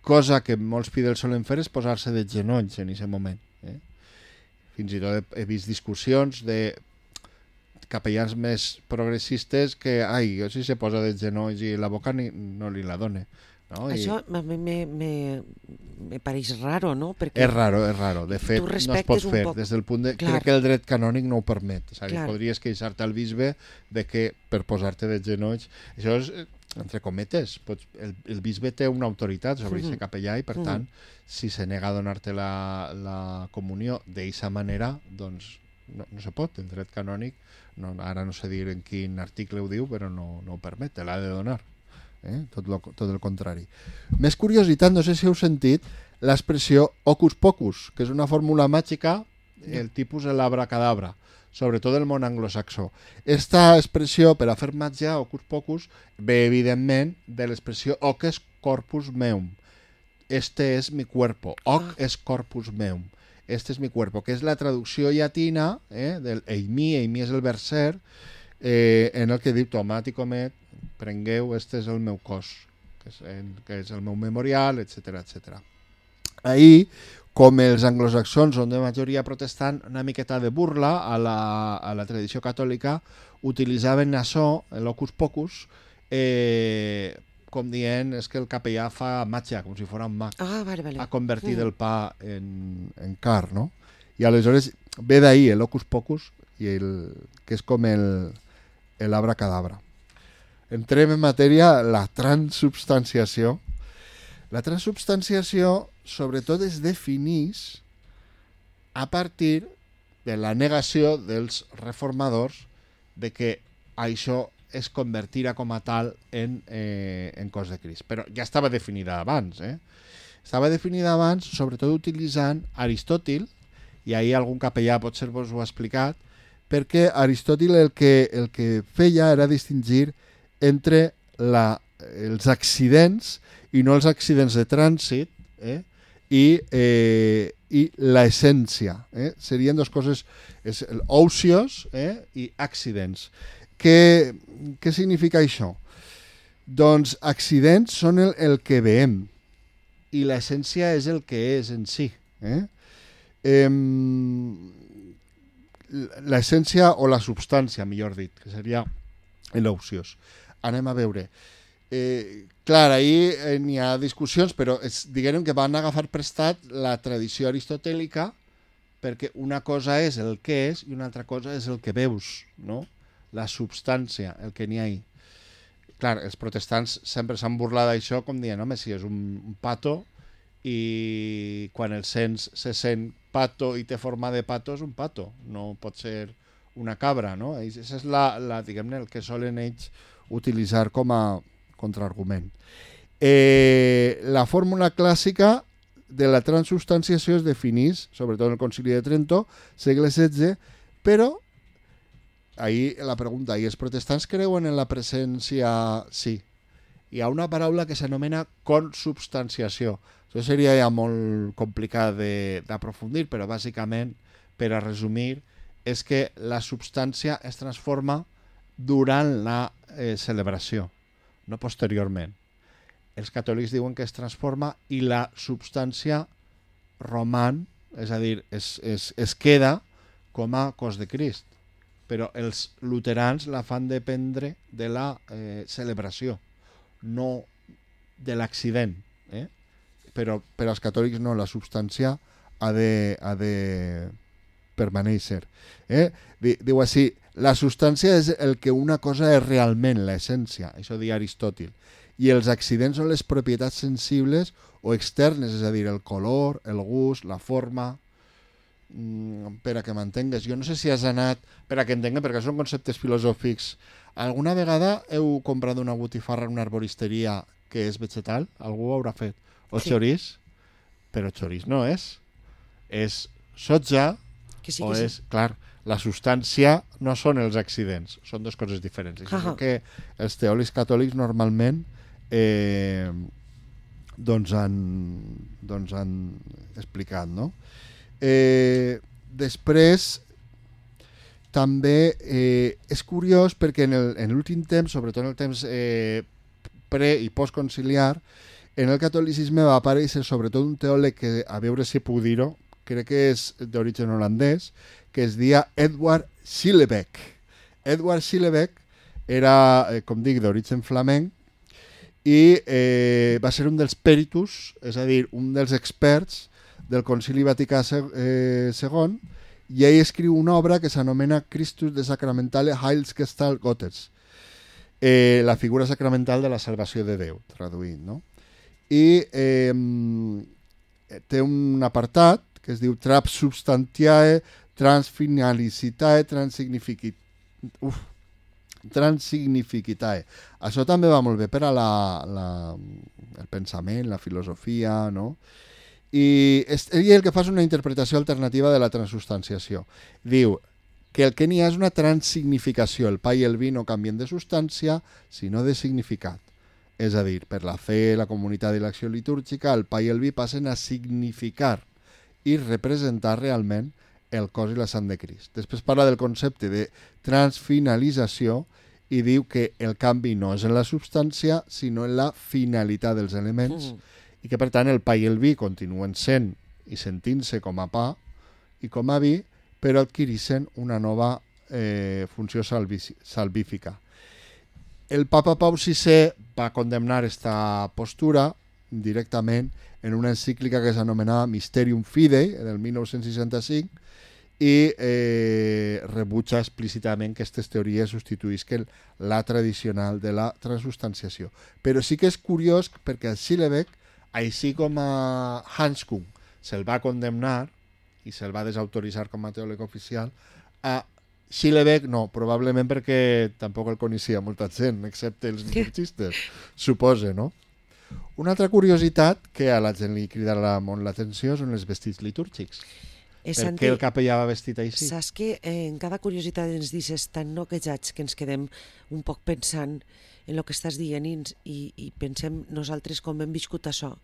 cosa que molts fidels solen fer és posar-se de genolls en aquest moment. Fins i tot he vist discussions de capellans més progressistes que, jo si se posa de genolls i la boca no li la done. No? Això me pareix raro, no? Perquè és raro. De fet, no es pot fer. Des del punt de... Crec que el dret canònic no ho permet. És a dir, podries queixar-te al bisbe de que per posar-te de genolls... Això és, entre cometes, el bisbe té una autoritat sobre aquest capellà i, per tant, si se nega a donar-te la comunió d'aquesta manera, doncs no se pot. El dret canònic, ara no sé dir en quin article ho diu, però no ho permet, te l'ha de donar. Tot el contrari. Més curiositat, no sé si heu sentit l'expressió hocus pocus, que és una fórmula màgica, el tipus de l'abracadabra, sobretot del món anglosaxó. Esta expressió per a fer màgia, hocus pocus, ve evidentment de l'expressió hoc es corpus meum. Este es mi cuerpo. Hoc es corpus meum. Este es mi cuerpo, que és la traducció llatina del eimi és el verser, en el que diu tomat i comet, prengueu, este és el meu cos, que és el meu memorial, etc etc. Ahir, com els anglosaxons són de majoria protestant, una miqueta de burla a la tradició catòlica, utilitzaven això, l'hocus pocus, com dient és que el capellà fa màgia, com si fos un mag. Vale. Ha convertit el pa en car, no? I aleshores ve d'ahir l'hocus pocus, que és com l'abracadabra. Entrem en matèria, la transubstanciació. La transubstanciació, sobretot, es defineix a partir de la negació dels reformadors de que això es convertirà com a tal en cos de Crist. Però ja estava definida abans. Estava definida abans, sobretot utilitzant Aristòtil, i ahir algun capellà potser vos ho ha explicat, perquè Aristòtil el que feia era distingir entre els accidents i no els accidents de trànsit i l'essència. Serien dues coses, ocios i accidents. Què significa això? Doncs accidents són el que veiem i l'essència és el que és en si. L'essència o la substància, millor dit, que seria l'ociós. Anem a veure. Clar, ahir n'hi ha discussions, però diguem que van agafar prestat la tradició aristotèlica perquè una cosa és el que és i una altra cosa és el que veus, no? la substància, el que n'hi ha ahí. Clar, els protestants sempre s'han burlat d'això com dient, home, si és un pato i quan el sents se sent pato i té forma de pato, és un pato, no pot ser una cabra, no? Això és diguem-ne, el que solen ells utilitzar com a contraargument. La fórmula clàssica de la transubstanciació es definís, sobretot en el Concili de Trento, segle XVI, però ahí la pregunta, ¿y els protestants creuen en la presència? Sí. Hi ha una paraula que s'anomena consubstanciació. Això seria ja molt complicat d'aprofundir, però bàsicament, per a resumir, és que la substància es transforma durant la celebració, no posteriorment. Els catòlics diuen que es transforma i la substància roman, és a dir, es queda com a cos de Crist. Però els luterans la fan dependre de la celebració, no de l'accident. Però els catòlics no, la substància ha de permanèixer. Diu així, la substància és el que una cosa és realment, l'essència, això diu Aristòtil, i els accidents són les propietats sensibles o externes, és a dir, el color, el gust, la forma, per a que m'entengues. Jo no sé si has anat, per a que entengues, perquè són conceptes filosòfics. Alguna vegada heu comprat una botifarra en una arboristeria que és vegetal? Algú ho haurà fet. O sí. Xorís? Però xorís no és. És soja, que sí, o és... Sí. Clar, la substància no són els accidents, són dues coses diferents. Això és el que els teòlegs catòlics normalment han explicat, no? Després també és curiós perquè en l'últim temps, sobretot en el temps pre- i postconciliar, en el catolicisme va aparèixer sobretot un teòleg que, a veure si puc dir-ho, crec que és d'origen holandès, que es deia Edward Schillebeck. Edward Schillebeck era, com dic, d'origen flamenc i va ser un dels peritus, és a dir, un dels experts del Concili Vaticà II, i ell escriu una obra que s'anomena Christus de Sacramentale Heilsgestalt Gottes, la figura sacramental de la salvació de Déu, traduït, no? I té un apartat que es diu Transubstantiae, Transfinalicitate, Transignificitae. Això també va molt bé per a el pensament, la filosofia, no? I ell el que fa és una interpretació alternativa de la transubstanciació. Diu que el que n'hi ha és una transignificació. El pa i el vi no canvien de substància, sinó de significat. És a dir, per la fe, la comunitat i l'acció litúrgica, el pa i el vi passen a significar i representar realment el cos i la sang de Crist. Després parla del concepte de transfinalització i diu que el canvi no és en la substància, sinó en la finalitat dels elements, i que per tant el pa i el vi continuen sent i sentint-se com a pa i com a vi, però adquireixen una nova funció salvífica. El papa Pau VI va condemnar aquesta postura directament en una encíclica que s'anomenava Mysterium Fidei, del 1965, i rebutja explícitament que aquestes teories substituïsquen la tradicional de la transubstanciació. Però sí que és curiós perquè a Schillebeck, així com a Hans Küng se'l va condemnar i se'l va desautoritzar com a teòleg oficial, a Schillebeck no, probablement perquè tampoc el coneixia molta gent, excepte els liturgistes, suposa, no? Una altra curiositat que a la gent li cridarà molt l'atenció són els vestits litúrgics. Per què el capellà va vestit així? Saps que en cada curiositat ens dices tan noquejats que ens quedem un poc pensant en el que estàs dient i pensem nosaltres com hem viscut això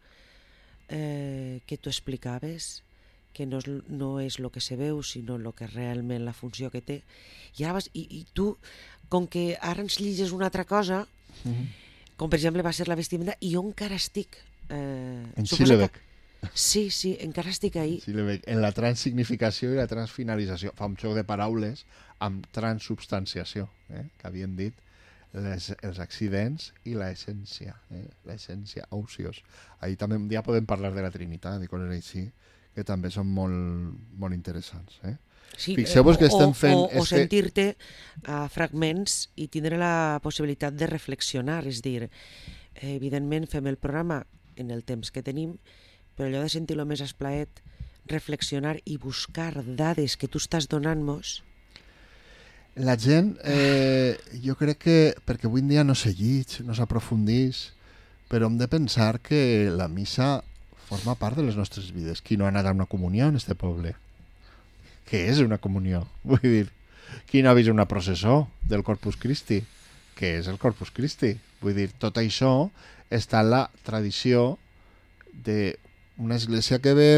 que tu explicaves, que no és el que se veu, sinó el que realment la funció que té. I tu, com que ara ens lliges una altra cosa, com per exemple va ser la vestimenta, i jo encara estic... En Schillebeck. Sí, encara estic ahí. Schillebeck, en la transsignificació i la transfinalització. Fa un joc de paraules amb transubstanciació, que havien dit els accidents i l'essència, l'essència, ocios. Ahí també un dia podem parlar de la Trinitat i coses així, que també són molt, molt interessants. Sí, Fixeu-vos que estem fent... o sentir-te a fragments i tindre la possibilitat de reflexionar, és dir, evidentment fem el programa en el temps que tenim, però allò de sentir-lo més esplaet, reflexionar i buscar dades que tu estàs donant-nos. La gent, jo crec que, perquè avui en dia no s'allitja, no s'aprofundís, però hem de pensar que la missa forma part de les nostres vides. Qui no ha anat a una comunió en este poble? Què és una comunió? Vull dir, qui no ha vist una processó del Corpus Christi? Què és el Corpus Christi? Vull dir, tot això està en la tradició d'una església que ve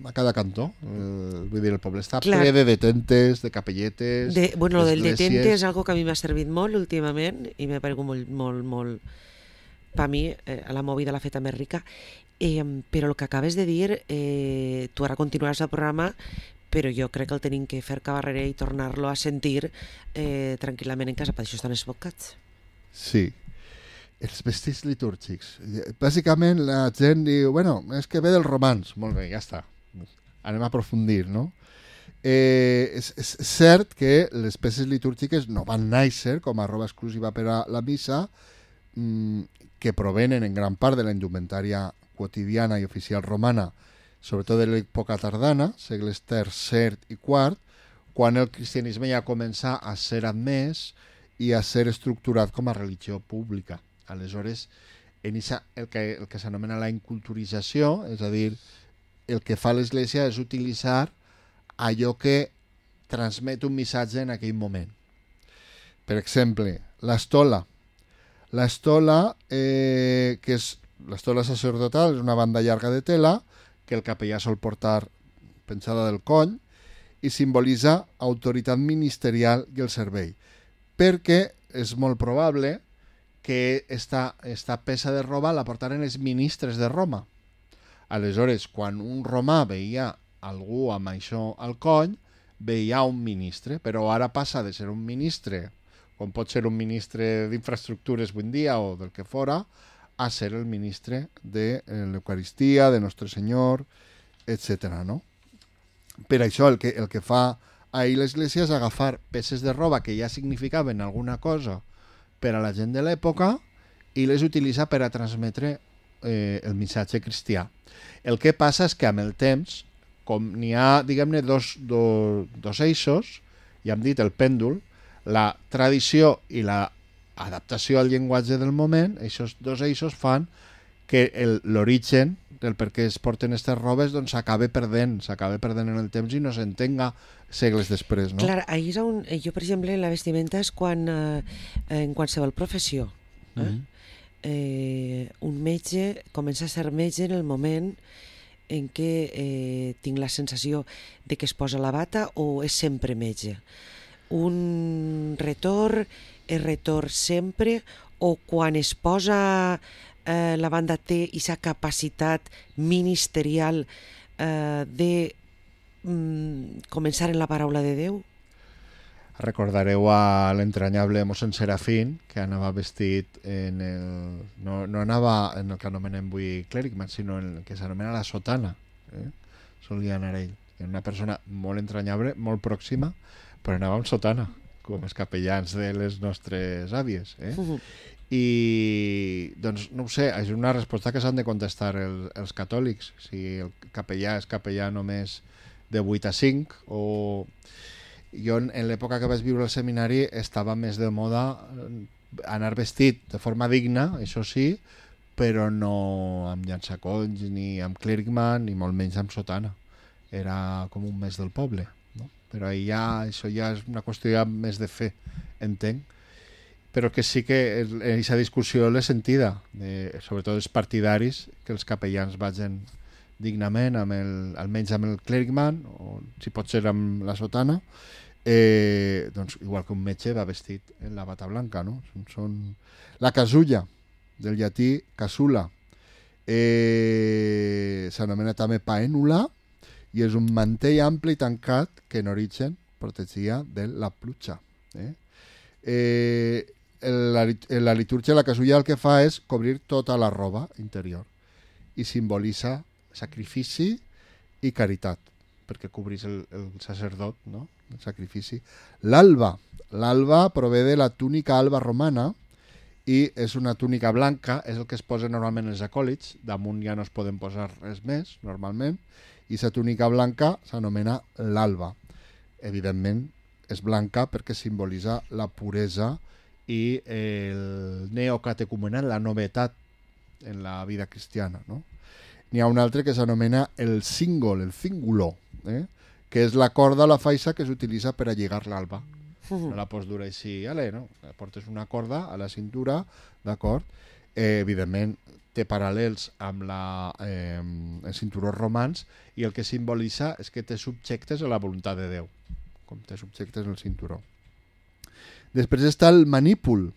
a cada cantó. Vull dir, el poble està ple de detentes, de capelletes... Bueno, lo del detente és algo que a mi m'ha servit molt últimament i m'ha paregut molt... Per mi, la movida l'ha feta més rica. Però el que acabes de dir, tu ara continuaràs el programa, però jo crec que el tenim que fer cabarrera i tornar-lo a sentir tranquil·lament en casa, per això estan esbocats. Sí. Els vestits litúrgics. Bàsicament la gent diu, bueno, és que ve dels romans. Molt bé, ja està. Anem a aprofundir, no? És cert que les peces litúrgiques no van néixer com a roba exclusiva per a la missa, que provenen en gran part de la indumentària quotidiana i oficial romana, sobretot de l'època tardana, segles III i IV, quan el cristianisme ja comença a ser admès i a ser estructurat com a religió pública. Aleshores, el que s'anomena la inculturització, és a dir, el que fa l'Església és utilitzar allò que transmet un missatge en aquell moment. Per exemple, l'estola. L'estola, que és l'estola sacerdotal, és una banda llarga de tela que el capellà sol portar penjada del coll i simbolitza autoritat ministerial i el servei, perquè és molt probable que esta peça de roba la portaren els ministres de Roma. Aleshores, quan un romà veia algú amb això al coll, veia un ministre, però ara passa de ser un ministre, com pot ser un ministre d'infraestructures avui en dia o del que fora, a ser el ministre de l'Eucaristia, de Nostre Senyor, etc. No? Per això el que fa ahir l'Església és agafar peces de roba que ja significaven alguna cosa per a la gent de l'època i les utilitza per a transmetre el missatge cristià. El que passa és que amb el temps, com n'hi ha, diguem-ne, dos eixos, ja hem dit el pèndol, la tradició i l'adaptació al llenguatge del moment, aquests dos eixos fan que l'origen del per què es porten aquestes robes doncs s'acaba perdent en el temps i no s'entenga segles després, no? Clar, ahir és on jo, per exemple, la vestimenta és quan en qualsevol professió. Un metge comença a ser metge en el moment en què tinc la sensació de que es posa la bata o és sempre metge. Un retor és retor sempre o quan es posa la banda té aquesta capacitat ministerial de començar en la paraula de Déu? Recordareu a l'entranyable mossèn Serafín, que anava vestit no anava en el que anomenem avui clèrigman, sinó en el que s'anomena la sotana. Solia anar ell. Era una persona molt entranyable, molt pròxima, però anava amb sotana, com els capellans de les nostres àvies. I, doncs, no ho sé, és una resposta que s'han de contestar els catòlics. Si el capellà és capellà només de 8 a 5, o... Jo, en l'època que vaig viure al seminari, estava més de moda anar vestit de forma digna, això sí, però no amb llançacolls, ni amb clèrigman, ni molt menys amb sotana. Era com un mes del poble, no? Però això ja és una qüestió ja més de fe, entenc. Però que sí que aquesta discussió l'he sentida, sobretot els partidaris, que els capellans vagin dignament, almenys amb el clèrigman, o si pot ser amb la sotana, doncs igual que un metge va vestit en la bata blanca, no? La casulla, del llatí casula, s'anomena també paènula i és un mantell ampli i tancat que en origen protegia de la pluja. La litúrgia, la casulla, el que fa és cobrir tota la roba interior i simbolitza sacrifici i caritat, perquè cobrís el sacerdot, no? El sacrifici. L'alba prové de la túnica alba romana i és una túnica blanca, és el que es posa normalment els acòlits, damunt ja no es poden posar res més, normalment, i la túnica blanca s'anomena l'alba. Evidentment, és blanca perquè simbolitza la puresa i el neocatecumenat, la novetat en la vida cristiana, no? N'hi ha un altre que s'anomena el cíngulo, que és la corda o la faixa que s'utilitza per a lligar l'alba. No la pots dur així, no? Portes una corda a la cintura, d'acord? Evidentment, té paral·lels amb els cinturons romans i el que simbolitza és que té subjectes a la voluntat de Déu, com té subjectes el cinturó. Després està el manípul.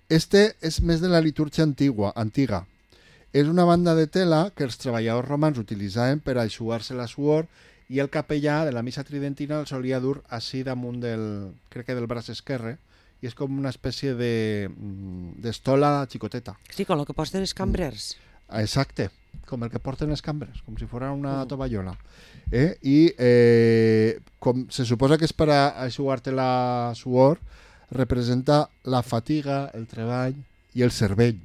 Este és més de la litúrgia antiga. És una banda de tela que els treballadors romans utilitzaven per a eixugar-se la suor i el capellà de la missa tridentina el solia dur així damunt del braç esquerre i és com una espècie d'estola xicoteta. Sí, com el que porten els cambrers. Exacte, com el que porten els cambrers, com si fos una tovallola. I com se suposa que és per a eixugar-te la suor, representa la fatiga, el treball i el cervell.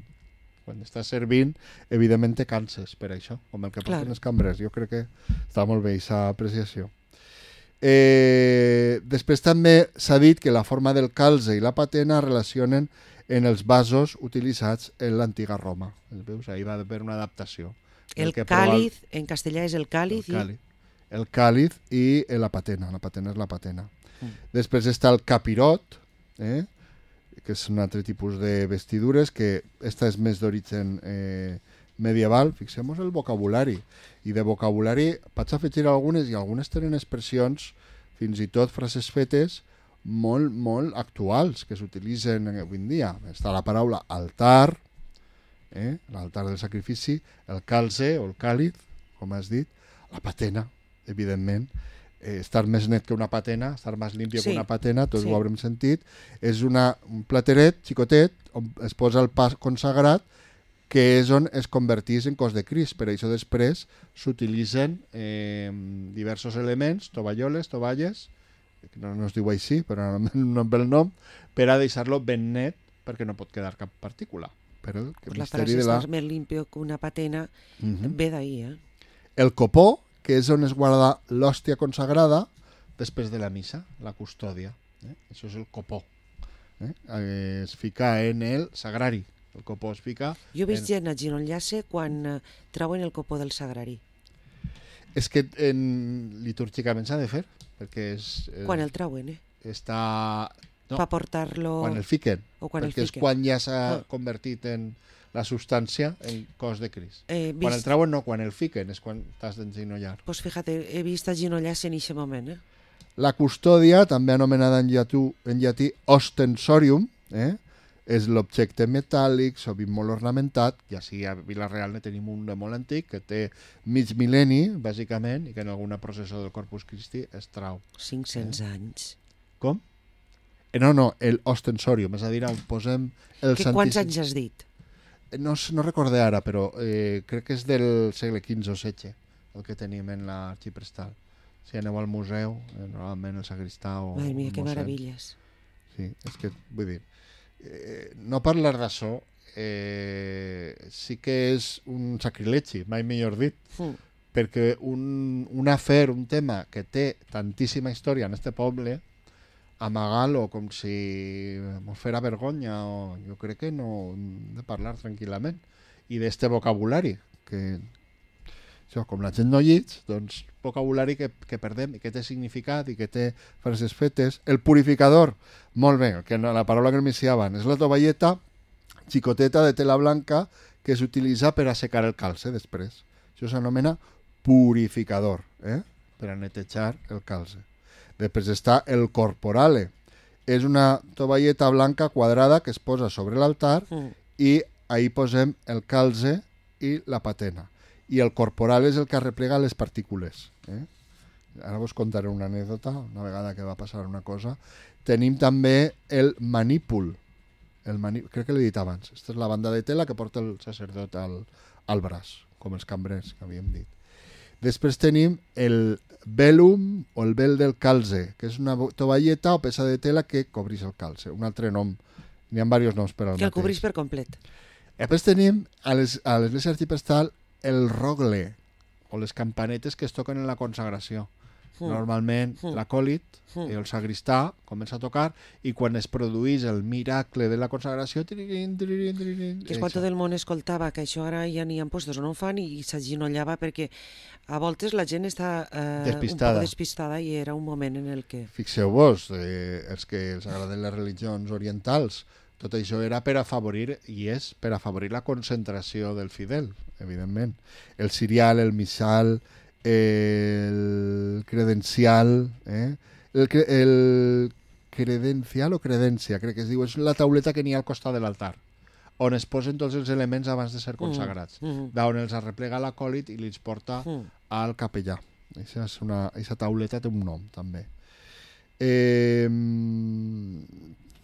Quan estàs servint, evidentment te canses per això, com el que porten els cambrers. Jo crec que està molt bé aquesta apreciació. Després també s'ha dit que la forma del calze i la patena relacionen en els vasos utilitzats en l'antiga Roma. Veus? Ahí va haver una adaptació. El càlid, en castellà és el càlid. El càlid i la patena. La patena és la patena. Després està el capirot, que és un altre tipus de vestidures, que esta és més d'origen medieval. Fixem-nos el vocabulari. I de vocabulari vaig afegir algunes, i algunes tenen expressions, fins i tot frases fetes, molt, molt actuals, que s'utilitzen avui en dia. Està la paraula altar, l'altar del sacrifici, el calze o el càlid, com has dit, la patena, evidentment, estar més net que una patena, estar més limpio que una patena, tots ho haurem sentit. És un plateret xicotet on es posa el pa consagrat, que és on es convertís en cos de Crist. Per això després s'utilitzen diversos elements, tovalloles, tovalles, no es diu així, però no em ve el nom, per a deixar-lo ben net perquè no pot quedar cap partícula. Però la frase estar més limpio que una patena ve d'ahir. El copó, que és on es guarda l'hòstia consagrada després de la missa, la custòdia. Això és el copó. Es fica en el sagrari. El copó es fica... Jo he vist gent agenollar-se quan treuen el copó del sagrari. És que litúrgicament s'ha de fer, perquè és... Quan el treuen, Està... No, per portar-lo... Quan el fiquen. Perquè és quan ja s'ha convertit en la substància en cos de Crist. Quan el treuen no, quan el fiquen és quan t'has d'enginollar. Pues fíjate, he vist agenollar-se en aquest moment. La custòdia, també anomenada en llatí ostensorium, és l'objecte metàl·lic, sovint molt ornamentat, i així a Vila-real ne tenim un de molt antic que té mig mil·lenni, bàsicament, i que en alguna processó del Corpus Christi es trau. 500 anys. Com? No, el ostensorium, és a dir, on posem el Santíssim. Quants anys has dit? No recordé ara, però crec que és del segle XV o XVI, el que tenim en l'arxiprestal. Si aneu al museu, normalment el sagristà o... Madre mia, que meravelles. Sí, és que, vull dir, no parlar d'això sí que és un sacrilegi, mai millor dit, perquè un afer, un tema que té tantíssima història en este poble, amagar-lo com si mos fera vergonya, o jo crec que no hem de parlar tranquil·lament. I d'este vocabulari, que això, com la gent no llits, doncs vocabulari que perdem i que té significat i que té frases fetes. El purificador, molt bé, la paraula que m'iniciaven, és la tovalleta xicoteta de tela blanca que s'utilitza per a secar el calze després. Això s'anomena purificador, per a netejar el calze. Després està el corporale. És una tovalleta blanca quadrada que es posa sobre l'altar i ahí posem el calze i la patena. I el corporal és el que arreplega les partícules. Ara vos contaré una anècdota, una vegada que va passar una cosa. Tenim també el manípul. Crec que l'he dit abans. Aquesta és la banda de tela que porta el sacerdot al braç, com els cambrers que havíem dit. Després tenim el velum o el vel del calze, que és una tovalleta o peça de tela que cobreix el calze, un altre nom. N'hi ha diversos noms per al mateix. Que el cobreix per complet. Després tenim a l'església arxiprestal el rogle, o les campanetes que es toquen en la consagració. Normalment l'acòlit, el sagristà, comença a tocar i quan es produeix el miracle de la consagració... Que és quan tot el món escoltava, que això ara ja n'hi ha postos o no ho fan i s'aginollava perquè a voltes la gent està un poc despistada i era un moment en el que... Fixeu-vos, els que els agraden les religions orientals, tot això era per afavorir, i és per afavorir la concentració del fidel, evidentment. El cirial, el missal, el credencial, el credencial o credència, crec que es diu, és la tauleta que n'hi ha al costat de l'altar, on es posen tots els elements abans de ser consagrats, d'on els arreplega l'acòlit i els porta al capellà. Aquesta tauleta té un nom, també.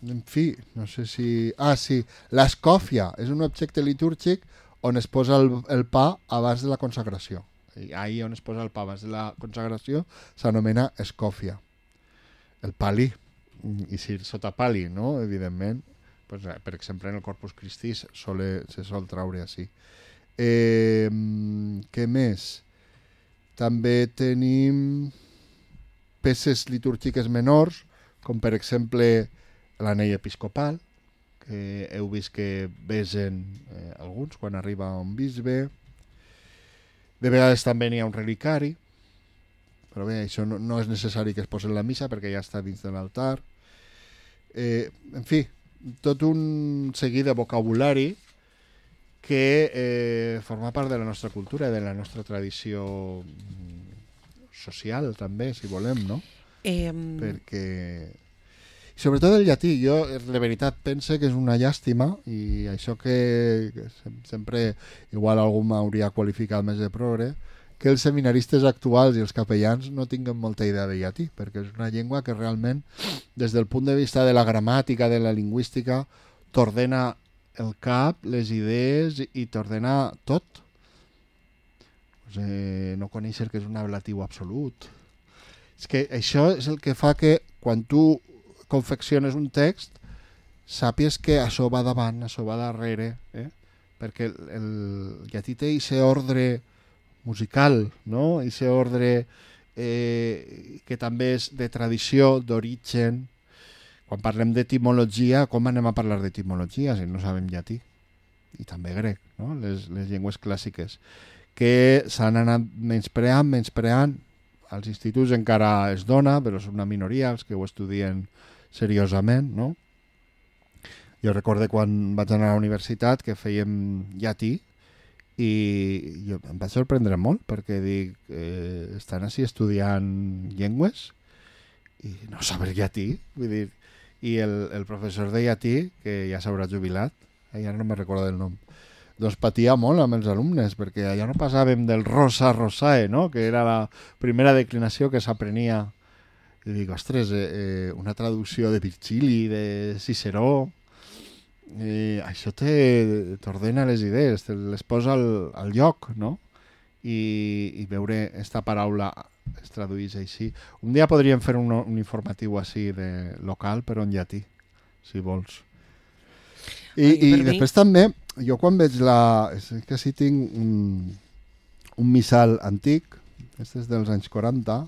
En fi, no sé si... sí, l'escòfia és un objecte litúrgic on es posa el pa abans de la consagració. Ahí on es posa el pa abans de la consagració s'anomena escòfia. El pali, i si sota pali, no? Evidentment, pues, per exemple en el Corpus Christi se sol traure així. Què més? També tenim peces litúrgiques menors, com per exemple l'anell episcopal, que heu vist que besen alguns quan arriba un bisbe. De vegades també n'hi ha un relicari, però bé, això no és necessari que es posi en la missa perquè ja està dins de l'altar. En fi, tot un seguit de vocabulari que forma part de la nostra cultura i de la nostra tradició social també, si volem, no? Perquè... Sobretot el llatí, jo de veritat pense que és una llàstima i això que sempre igual algú m'hauria qualificat més de progre, que els seminaristes actuals i els capellans no tinguen molta idea de llatí, perquè és una llengua que realment, des del punt de vista de la gramàtica, de la lingüística, t'ordena el cap, les idees i t'ordena tot. No conèixer que és un ablatiu absolut. És que això és el que fa que quan tu confecciones un text, sàpies que això va davant, això va darrere, perquè el llatí té aquest ordre musical, no? Aquest ordre que també és de tradició, d'origen. Quan parlem d'etimologia, com anem a parlar d'etimologia si no sabem llatí? I també grec, no? Les llengües clàssiques, que s'han anat menyspreant. Als instituts encara es dona, però és una minoria els que ho estudien seriosament, no? Jo recordo quan vaig anar a la universitat que fèiem llatí i jo em vaig sorprendre molt perquè dic, estan així estudiant llengües i no saber llatí, vull dir, i el professor de llatí, que ja s'haurà jubilat, ja no me'n recordo del nom, doncs patia molt amb els alumnes perquè allà no passàvem del rosa rosae, no? Que era la primera declinació que s'aprenia. I dic, ostres, una traducció de Virgili, de Ciceró, això t'ordena les idees, te les posa al lloc, no? I veure esta paraula es tradueix així. Un dia podríem fer un informatiu així de local, però en llatí, si vols. I després també, jo quan veig és que sí tinc un missal antic, este és dels anys 40,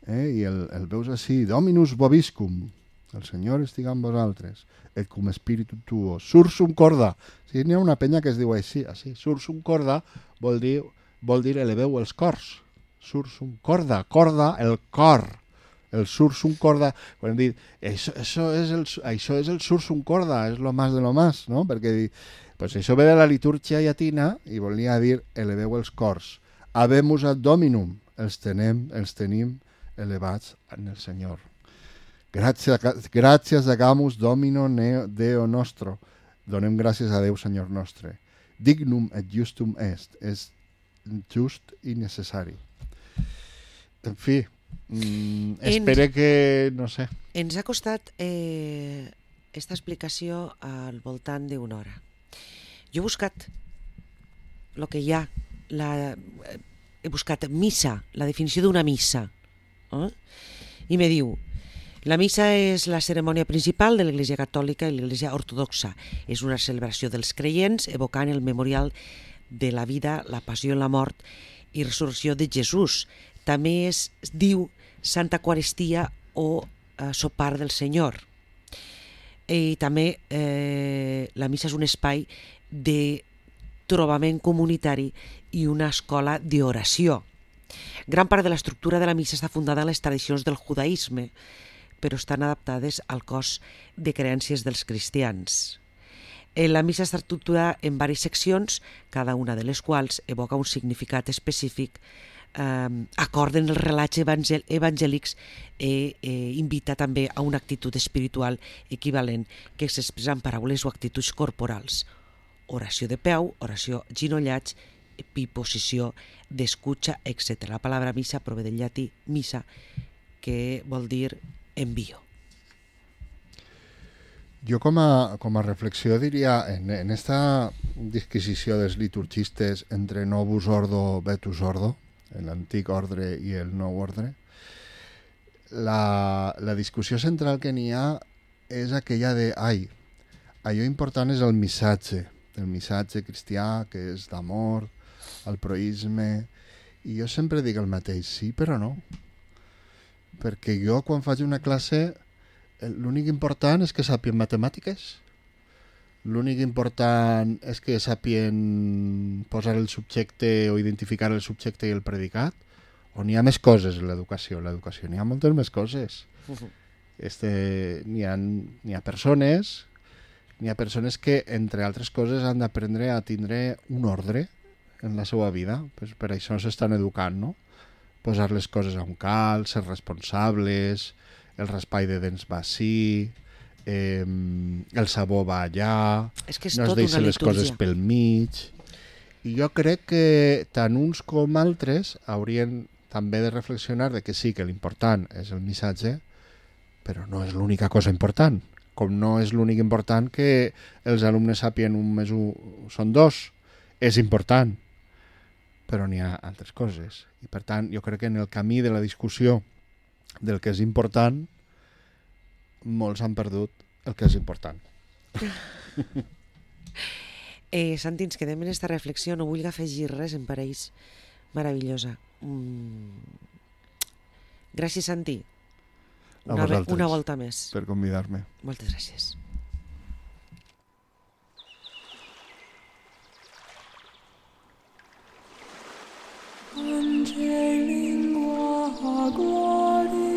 i el veus així, Dominus vobiscum, el Senyor estiga amb vosaltres, et cum spiritu tuo, sursum corda. Sí, n'hi ha una penya que es diu així, sursum corda vol dir eleveu els cors. Sursum corda, el cor. El sursum corda, quan hem dit, això és el sursum corda, és lo más de lo más, no? Perquè pues això ve de la litúrgia llatina i volia dir eleveu els cors. Habemus ad Dominum, els tenim elevats en el Senyor. Gràcies agamus Domino Deo nostro. Donem gràcies a Déu, Senyor nostre. Dignum et justum est. És just i necessari. En fi, espero que, no sé... Ens ha costat esta explicació al voltant d'una hora. Jo he buscat el que hi ha, he buscat missa, la definició d'una missa. I me diu: la missa és la cerimònia principal de l'Església Catòlica i l'Església Ortodoxa. És una celebració dels creients evocant el memorial de la vida, la passió i la mort i resurrecció de Jesús. També es diu Santa Eucaristia o sopar del Senyor. I també la missa és un espai de trobament comunitari i una escola d'oració. Gran part de l'estructura de la missa està fundada en les tradicions del judaïsme, però estan adaptades al cos de creences dels cristians. La missa està estructurada en diverses seccions, cada una de les quals evoca un significat específic, acorden els relats evangèlics i invita també a una actitud espiritual equivalent que s'expressa en paraules o actituds corporals. Oració de peu, oració ginollats, posició d'escucha, etc. La paraula missa prové del llatí missa, que vol dir envío. Jo com a reflexió diria, en esta disquisició dels liturgistes entre novus ordo, vetus ordo, l'antic ordre i el nou ordre, la discussió central que n'hi ha és aquella de, allò important és el missatge cristià, que és d'amor, el proïsme, i jo sempre dic el mateix, sí però no, perquè jo quan faig una classe l'únic important és que sàpien matemàtiques, l'únic important és que sàpien posar el subjecte o identificar el subjecte i el predicat, o n'hi ha més coses en l'educació? L'educació n'hi ha moltes més coses. N'hi ha persones que, entre altres coses, han d'aprendre a tindre un ordre en la seva vida. Per això s'estan educant, no? Posar les coses a un cal, ser responsables, el raspall de dents va així, el sabó va allà, no es deixen les coses pel mig. I jo crec que tant uns com altres haurien també de reflexionar de que sí, que l'important és el missatge, però no és l'única cosa important. Com no és l'únic important que els alumnes sàpien 1 més 1 són 2. És important, però n'hi ha altres coses. I per tant, jo crec que en el camí de la discussió del que és important, molts han perdut el que és important. Santi, ens quedem en aquesta reflexió, no vull afegir res, em pareix meravellosa. Gràcies, Santi. Una volta més. Per convidar-me. Moltes gràcies. Angelingua gloriosi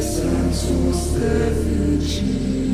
sensus deficit.